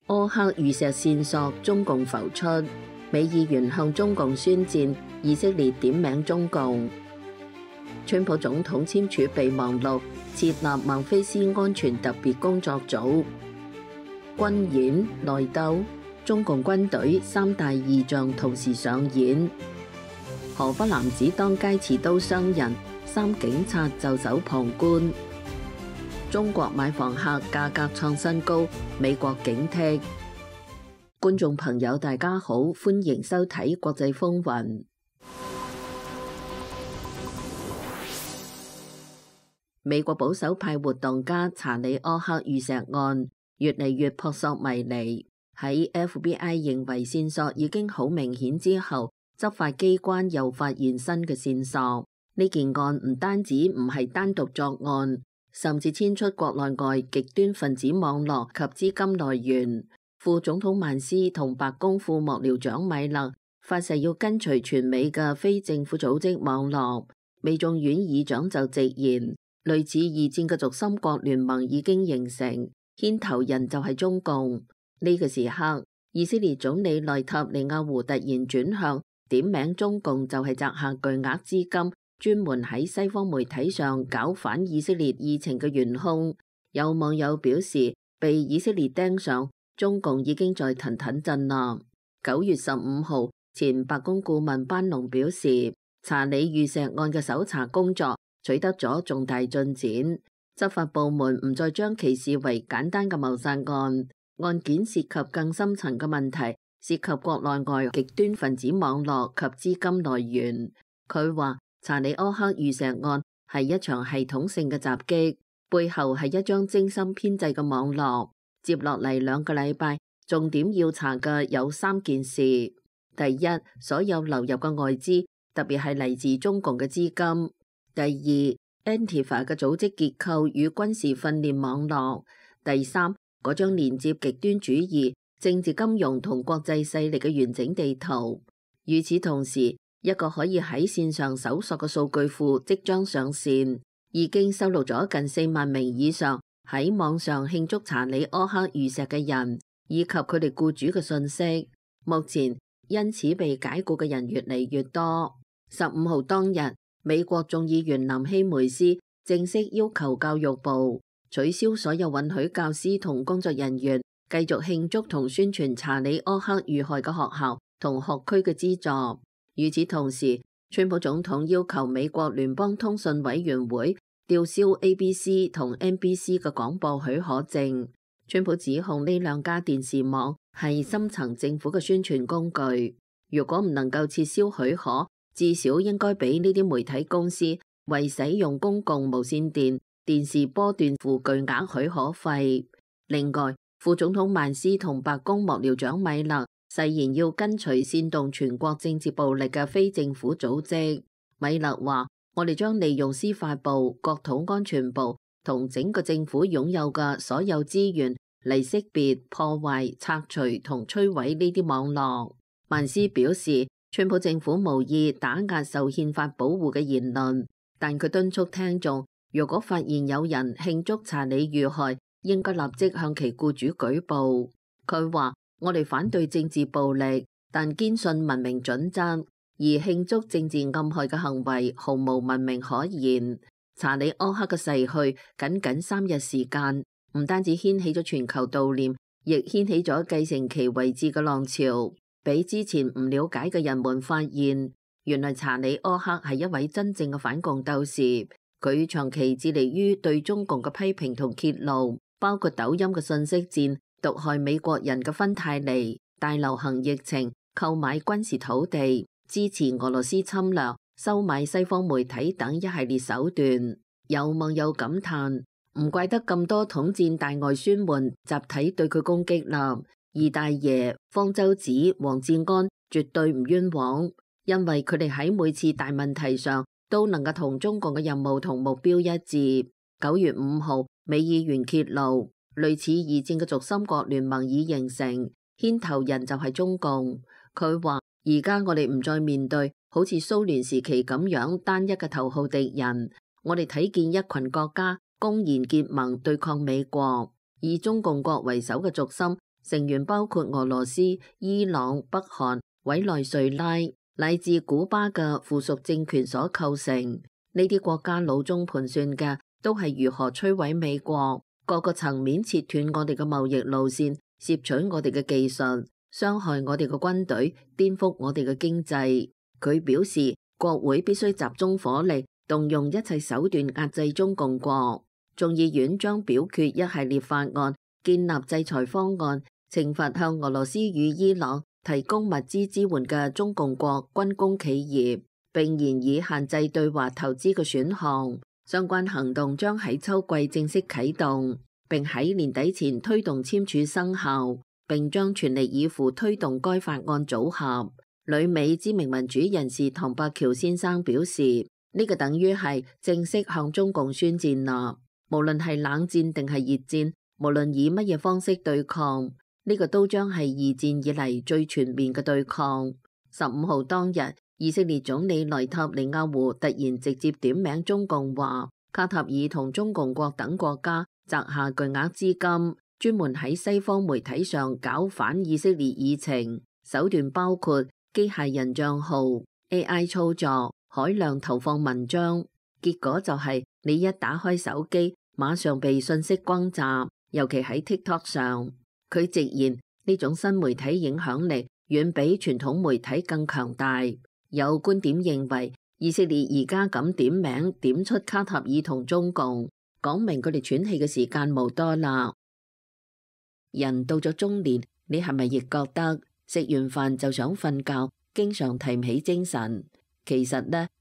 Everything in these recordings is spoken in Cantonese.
柯克遇錫線索中共浮出，美議員向中共宣戰，以色列點名中共。川普總統簽署備忘錄，設立孟菲斯安全特別工作組。軍演內鬥，中共軍隊三大異象同時上演。河北男子當街持刀傷人，3警察袖手旁觀。中國買房客價格創新高，美國警惕。觀眾朋友大家好，歡迎收睇國際風雲。美國保守派活動家查理柯克遇錫案越嚟越撲朔迷離，喺 FBI 認為線索已經好明顯之後，執法機關又發現新嘅線索。呢件案唔單止唔係單獨作案，甚至牽出國內外極端分子網絡及資金來源。副總統曼斯同白宮副幕僚長米勒發誓要跟隨全美嘅非政府組織網絡。美眾院議長就直言，類似二戰嘅軸心國聯盟已經形成，牽頭人就係中共。呢個時刻，以色列總理內塔尼亞胡突然轉向，點名中共就係擲下巨額資金，專門喺西方媒體上搞反以色列議程嘅元兇。有網友表示，被以色列盯上，中共已經在騰騰震啦。9月15號，前白宮顧問班農表示，查理遇錫案嘅搜查工作取得咗重大進展，執法部門唔再將其視為簡單嘅謀殺案，案件涉及更深層嘅問題，涉及國內外極端分子網絡及資金來源。佢話查理柯克遇錫案係一場系統性嘅襲擊，背後係一張精心編製嘅網絡。接落嚟2個禮拜，重點要查嘅有3件事。第一，所有流入嘅外資，特別係嚟自中共嘅資金。第二， Antifa 嘅組織結構與軍事訓練網絡。第三，嗰張連接極端主義、政治金融同國際勢力嘅完整地圖。與此同時，一個可以喺線上搜索嘅數據庫即將上線，已經收錄咗近4萬名以上喺網上慶祝查理柯克遇錫嘅人，以及佢哋僱主嘅信息。目前因此被解僱嘅人越嚟越多。15號當日，美國眾議員南希梅斯正式要求教育部取消所有允許教師同工作人員繼續慶祝同宣傳查理柯克遇害嘅學校同學區嘅資助。與此同時，川普總統要求美國聯邦通訊委員會吊銷 ABC 同 NBC 嘅廣播許可證。川普指控呢2家電視網係深層政府嘅宣傳工具，如果唔能夠撤銷許可，至少應該俾呢啲媒體公司為使用公共無線電視波段付巨額許可費。另外，副總統曼斯同白宮幕僚長米勒誓言要跟隨煽動全國政治暴力嘅非政府組織。米勒話：我哋將利用司法部、國土安全部同整個政府擁有嘅所有資源嚟識別、破壞、拆除同摧毀呢啲網絡。曼斯表示，川普政府無意打壓受憲法保護嘅言論，但佢敦促聽眾，如果發現有人慶祝查理遇害，應該立即向其僱主舉報。佢話：我哋反對政治暴力，但堅信文明準則，而慶祝政治暗害嘅行為毫無文明可言。查理柯克嘅逝去僅3日時間，唔單止掀起咗全球悼念，亦掀起咗繼承其位置嘅浪潮。俾之前唔了解嘅人們發現，原來查理柯克係一位真正嘅反共鬥士。佢長期致力於對中共嘅批評同揭露，包括抖音嘅信息戰、毒害美國人嘅芬太尼、大流行疫情、購買軍事土地、支持俄羅斯侵略、收買西方媒體等一系列手段。有網友感嘆：唔怪得咁多統戰大外宣們集體對佢攻擊啦。二大爺、方舟子、黃志安絕對唔冤枉，因為佢哋喺每次大問題上都能夠同中共嘅任務同目標一致。9月5號，美議員揭露，類似二戰嘅軸心國聯盟已形成，牽頭人就係中共。佢話：而家我哋唔再面對好似蘇聯時期咁樣單一嘅頭號敵人，我哋睇見一群國家公然結盟對抗美國，以中共國為首嘅軸心成員包括俄羅斯、伊朗、北韓、委內瑞拉乃至古巴嘅附屬政權所構成。呢啲國家腦中盤算嘅都係如何摧毀美國，各個層面切斷我哋嘅貿易路線，攝取我哋嘅技術，傷害我哋嘅軍隊，顛覆我哋嘅經濟。佢表示，國會必須集中火力，動用一切手段壓制中共國。眾議院將表決一系列法案，建立制裁方案，懲罰向俄羅斯與伊朗提供物資支援嘅中共國軍工企業，並研議限制對華投資嘅選項。相關行動將喺秋季正式啟動，並喺年底前推動簽署生效，並將全力以赴推動該法案組合。旅美知名民主人士唐伯喬先生表示，呢個等於係正式向中共宣戰啦。無論係冷戰定係熱戰，無論以乜嘢方式對抗，呢個都將係二戰以嚟最全面嘅對抗。15號當日，以色列總理內塔尼亞胡突然直接點名中共，話卡塔爾同中共國等國家擲下巨額資金，專門喺西方媒體上搞反以色列議程，手段包括機械人帳號、AI 操作、海量投放文章。結果就係你一打開手機，馬上被信息轟炸，尤其喺 TikTok 上。佢直言呢種新媒體影響力遠比傳統媒體更強大。有觀點認為，以色列而家咁點名點出卡塔爾同中共，講明佢哋喘氣嘅時間冇多啦。人到咗中年，你係咪亦覺得食完飯就想瞓覺，經常提唔起精神？其實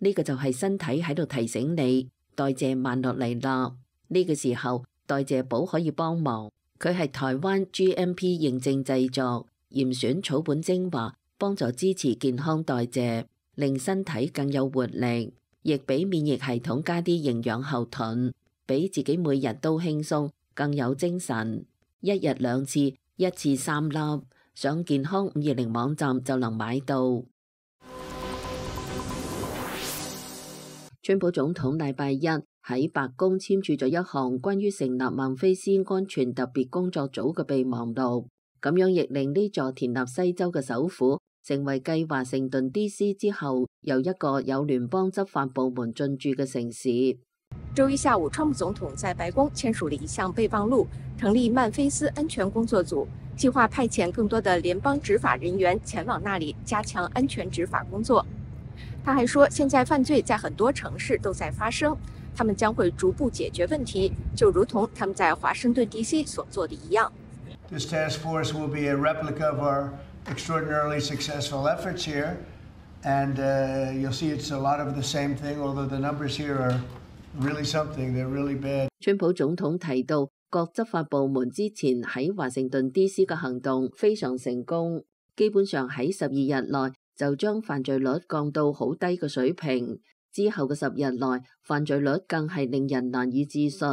呢個就係身體喺度提醒你代謝慢落嚟啦。呢個時候代謝寶可以幫忙，佢係台灣 GMP 認證製作，嚴選草本精華，幫助支持健康代謝，令身體更有活力，亦俾免疫系統加啲營養後盾，俾自己每日都輕鬆，更有精神。一日2次，一次3粒，上健康520網站就能買到。川普總統禮拜一喺白宮簽署咗一項關於成立孟菲斯安全特別工作組嘅備忘錄，咁樣亦令呢座田納西州嘅首府成為繼華盛頓 DC 之後又一個有聯邦執法部門進駐嘅城市。周一下午，川普總統在白宮簽署了一項備忘錄，成立曼菲斯安全工作組，計劃派遣更多的聯邦執法人員前往那裡加強安全執法工作。他還說，現在犯罪在很多城市都在發生，他們將會逐步解決問題，就如同他們在華盛頓 DC 所做的一樣。This task force will be a replica of our extraordinarily successful efforts here, and you'll see it's a lot of the same thing, although the numbers here are really something, they're really bad. 川普總統提到，各執法部門之前喺華盛頓 DC 嘅行動非常成功，基本上喺12日內就將犯罪率降到好低嘅水平，之後嘅10日內犯罪率更係令人難以置信。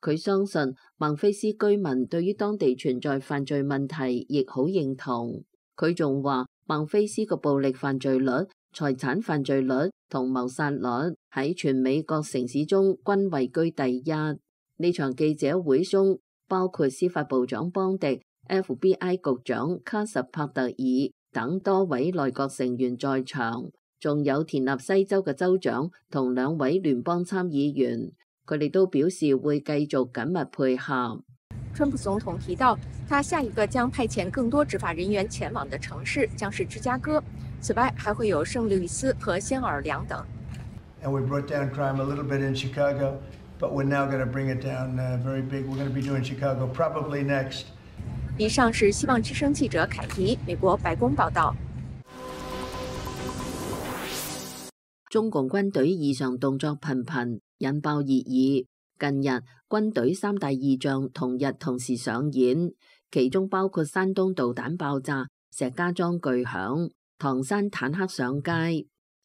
佢相信孟菲斯居民對於當地存在犯罪問題亦好認同。佢仲話孟菲斯嘅暴力犯罪率、財產犯罪率同謀殺率喺全美各城市中均位居第一。呢場記者會中包括司法部長邦迪、FBI 局長卡什帕特爾等多位內閣成員在場，仲有田納西州嘅州長同2位聯邦參議員，佢哋都表示會繼續緊密配合。川普總統提到，他下一個將派遣更多執法人員前往的城市將是芝加哥，此外還會有聖路易斯和新奧爾良等。And we brought down crime a little bit in Chicago, but we're now going to bring it down very big. We're going to be doing Chicago probably next. 以上是希望之聲記者凱迪，美國白宮報道。中共軍隊異常動作頻頻，引爆熱議。近日，軍隊3大異象同日同時上演，其中包括山東導彈爆炸、石家莊巨響、唐山坦克上街。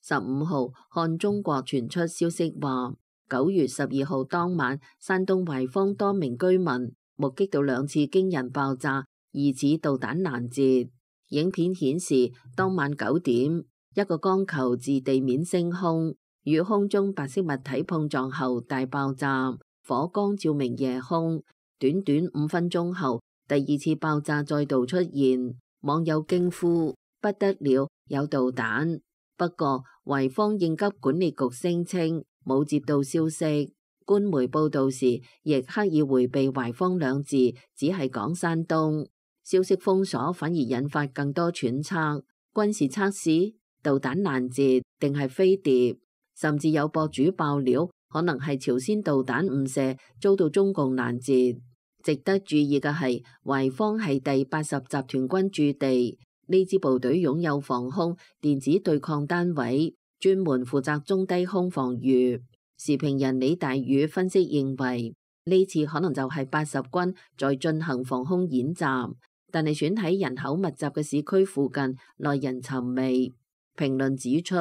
15號，看中國傳出消息話，9月12號當晚，山東懷坊多名居民目擊到2次驚人爆炸，疑似導彈攔截。影片顯示，當晚9點，一個光球自地面升空，與空中白色物體碰撞後大爆炸，火光照明夜空。短短5分鐘後，第二次爆炸再度出現，網友驚呼不得了，有導彈。不過維方應急管理局聲稱冇接到消息，官媒報導時亦刻意迴避維方兩字，只係講山東。消息封鎖反而引發更多揣測，軍事測試、導彈攔截定係飛碟，甚至有博主爆料可能係朝鮮導彈誤射遭到中共攔截。值得注意嘅係，維方係第80集團軍駐地，呢支部隊擁有防空、電子對抗單位，專門負責中低空防禦。時評人李大宇分析認為，呢次可能就係80軍在進行防空演習，但係選喺人口密集嘅市區附近，耐人尋味。評論指出，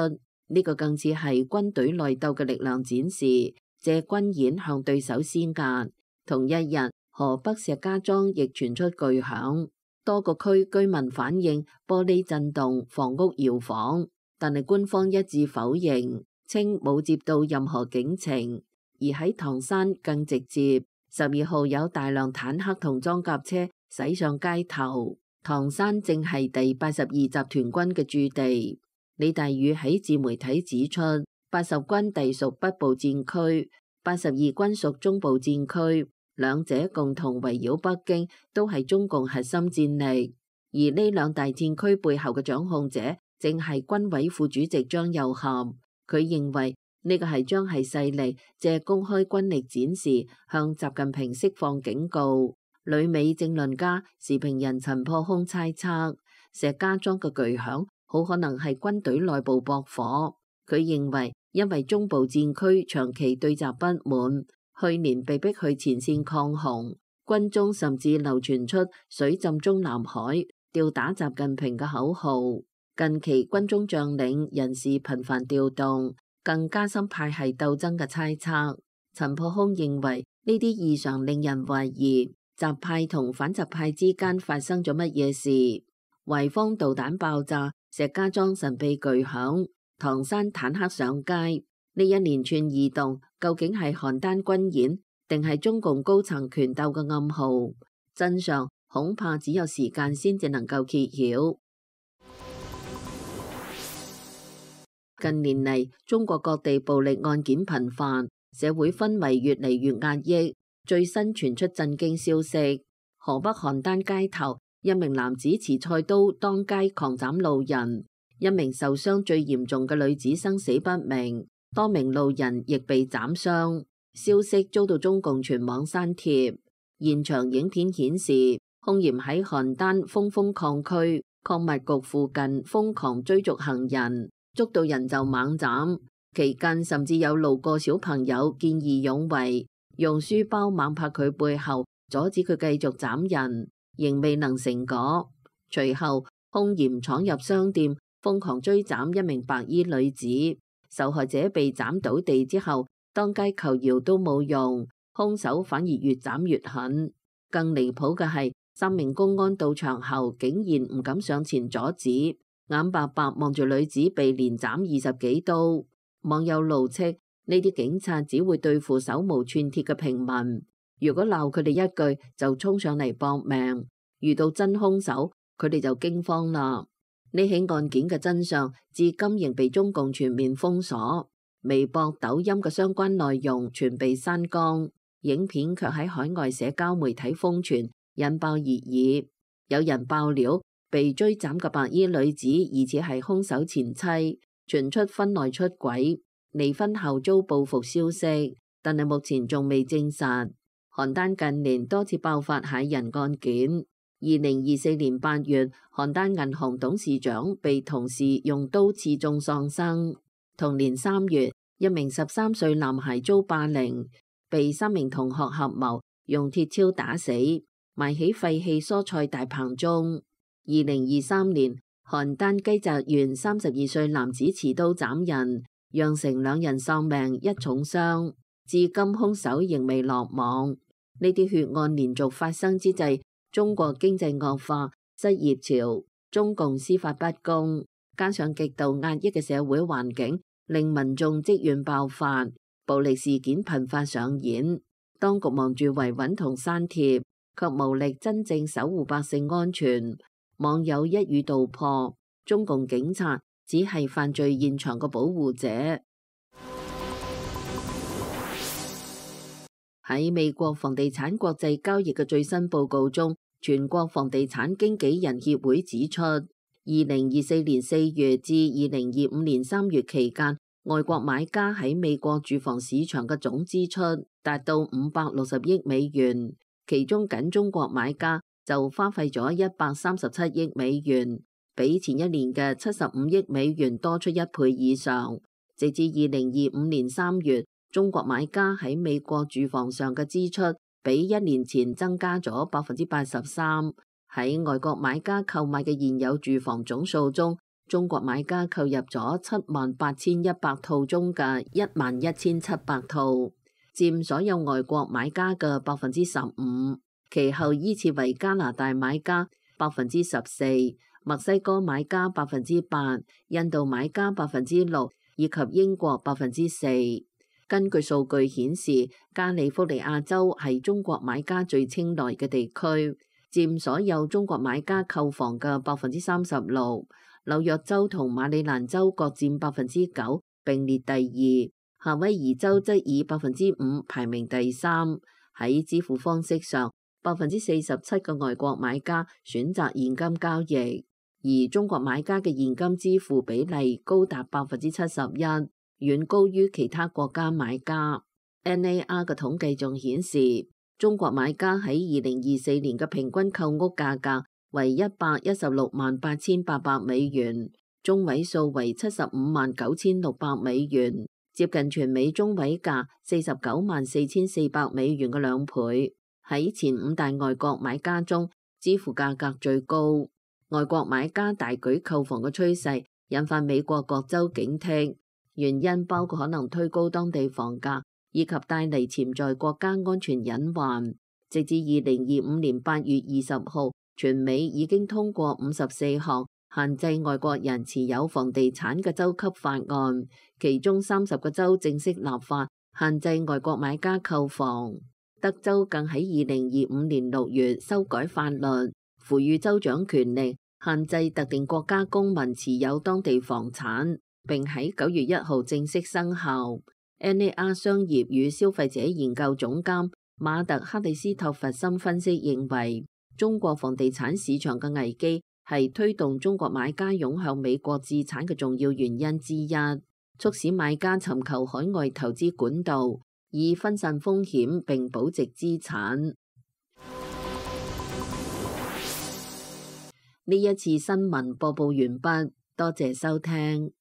呢個更似係軍隊內鬥嘅力量展示，借軍演向對手施壓。同一日，河北石家莊亦傳出巨響，多個區居民反映玻璃震動、房屋搖晃，但係官方一致否認，稱冇接到任何警情。而喺唐山更直接，12號有大量坦克同裝甲車駛上街頭。唐山正係第82集團軍嘅駐地。李大宇喺自媒體指出，80軍隸屬北部戰區，82軍屬中部戰區，兩者共同圍繞北京，都係中共核心戰力。而呢兩大戰區背後嘅掌控者，正係軍委副主席張又俠。佢認為呢個係將係勢力借公開軍力展示，向習近平釋放警告。旅美政論家、時評人陳破空猜測，石家莊嘅巨響好可能係軍隊內部駁火。佢認為，因為中部戰區長期對習不滿，去年被逼去前線抗洪，軍中甚至流傳出水浸中南海、吊打習近平嘅口號。近期軍中將領人事頻繁調動，更加深派系鬥爭嘅猜測。陳破空認為呢啲異常令人懷疑習派同反習派之間發生咗乜嘢事。維方導彈爆炸，石家莊神秘巨響，唐山坦克上街，呢一連串異動究竟係邯鄲軍演，定係中共高層權鬥嘅暗號？真相恐怕只有時間先至能夠揭曉。近年嚟，中國各地暴力案件頻繁，社會氛圍越嚟越壓抑。最新傳出震驚消息，河北邯鄲街頭，一名男子持菜刀當街狂斬路人，一名受傷最嚴重嘅女子生死不明，多名路人亦被斬傷。消息遭到中共全網刪帖。現場影片顯示，兇嫌喺邯鄲峰峰礦區礦物局附近瘋狂追逐行人，捉到人就猛斬。期間甚至有路過小朋友見義勇為，用書包猛拍佢背後，阻止佢繼續斬人，仍未能成果。隨後，兇嫌闖入商店，瘋狂追斬一名白衣女子。受害者被斬倒地之後，當街求饒都冇用，兇手反而越斬越狠。更離譜嘅係，3名公安到場後，竟然唔敢上前阻止，眼白白望住女子被連斬20幾刀。網友怒斥呢啲警察只會對付手無寸鐵嘅平民，如果鬧佢哋一句就衝上嚟搏命，遇到真兇手佢哋就驚慌啦。呢起案件嘅真相至今仍被中共全面封鎖，微博、抖音嘅相關內容全被刪光，影片卻喺海外社交媒體瘋傳，引爆熱議。有人爆料被追斬嘅白衣女子疑似係兇手前妻，傳出婚內出軌，離婚後遭報復消息，但係目前仲未證實。邯鄲近年多次爆發駭人案件。2024年8月，邯鄲銀行董事長被同事用刀刺中喪生。同年3月，一名13歲男孩遭霸凌，被3名同學合謀用鐵鍬打死，埋喺廢棄蔬菜大棚中。2023年，邯鄲雞澤縣32歲男子持刀斬人，釀成2人喪命1重傷，至今兇手仍未落網。呢啲血案連續發生之際，中國經濟惡化、失業潮、中共司法不公，加上極度壓抑嘅社會環境，令民眾積怨爆發，暴力事件頻發上演。當局忙住維穩同刪帖，卻無力真正守護百姓安全。網友一語道破，中共警察只係犯罪現場嘅保護者。喺美國房地產國際交易嘅最新報告中，全國房地產經紀人協會指出，2024年4月至2025年3月期間，外國買家喺美國住房市場嘅總支出達到560億美元，其中僅中國買家就花費咗137億美元，比前一年嘅75億美元多出1倍以上。直至2025年3月，中國買家喺美國住房上嘅支出比1年前增加咗83%。喺外國買家購買嘅現有住房總數中，中國買家購入咗78,100套中嘅11,700套，佔所有外國買家嘅15%。其後依次為加拿大買家14%、墨西哥買家8%、印度買家6%，以及英國4%。根據數據顯示，加利福尼亞州係中國買家最青睞嘅地區，佔所有中國買家購房嘅36%。紐約州同馬里蘭州各佔9%，並列第二。夏威夷州則以5%排名第三。喺支付方式上，47%嘅外國買家選擇現金交易，而中國買家嘅現金支付比例高達71%，遠高於其他國家買家。NAR 嘅統計仲顯示，中國買家喺2024年嘅平均購屋價格為116.800美元，中位數為75.9600美元，接近全美中位價49.4400美元嘅2倍。喺前5大外國買家中，支付價格最高。外國買家大舉購房嘅趨勢引發美國各州警惕，原因包括可能推高當地房價，以及帶嚟潛在國家安全隱患。直至2025年8月20號，全美已經通過54項限制外國人持有房地產嘅州級法案，其中30個州正式立法限制外國買家購房。德州更喺2025年6月修改法律，賦予州長權力限制特定國家公民持有當地房產，並喺9月1號正式生效。NAR 商業與消費者研究總監馬特克里斯托弗森分析認為，中國房地產市場嘅危機係推動中國買家湧向美國置產嘅重要原因之一，促使買家尋求海外投資管道，以分散風險並保值資產。呢一次新聞播報完畢，多謝收聽。